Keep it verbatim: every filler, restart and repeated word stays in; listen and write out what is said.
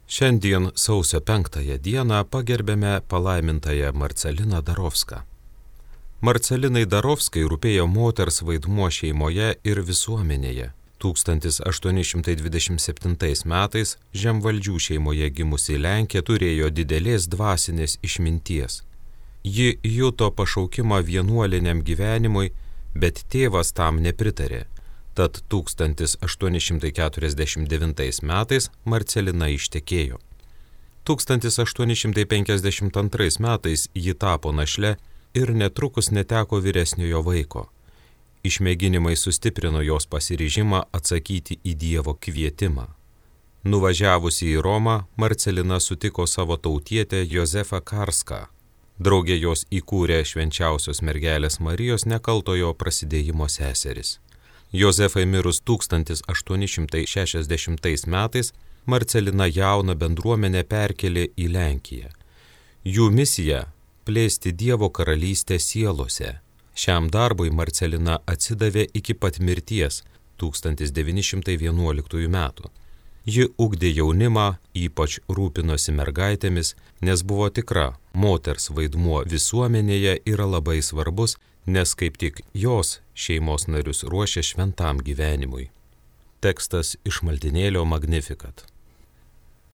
Šiandien sausio penktąją dieną pagerbėme palaimintąją Marceliną Darovską. Marcelinai Darovskai rūpėjo moters vaidmuo šeimoje ir visuomenėje. tūkstantis aštuoni šimtai dvidešimt septintais metais žemvaldžių šeimoje gimusi Lenkė turėjo didelės dvasinės išminties. Ji juto pašaukimą vienuoliniam gyvenimui, bet tėvas tam nepritarė. Tad tūkstantis aštuoni šimtai keturiasdešimt devintais metais Marcelina ištekėjo. tūkstantis aštuoni šimtai penkiasdešimt antrais metais ji tapo našle ir netrukus neteko vyresniojo vaiko. Išmėginimai sustiprino jos pasiryžimą atsakyti į Dievo kvietimą. Nuvažiavusi į Romą, Marcelina sutiko savo tautietę Jozefą Karską. Draugė jos įkūrė švenčiausios mergelės Marijos nekaltojo prasidėjimo seseris. Jozefai mirus tūkstantis aštuoni šimtai šešiasdešimtais metais, Marcelina jauną bendruomenę perkelė į Lenkiją. Jų misija – plėsti Dievo karalystę sielose. Šiam darbui Marcelina atsidavė iki pat mirties tūkstantis devyni šimtai vienuoliktųjų metų. Ji ugdė jaunimą, ypač rūpinosi mergaitėmis, nes buvo tikra, moters vaidmuo visuomenėje yra labai svarbus, nes kaip tik jos šeimos narius ruošia šventam gyvenimui. Tekstas iš maldynėlio Magnificat.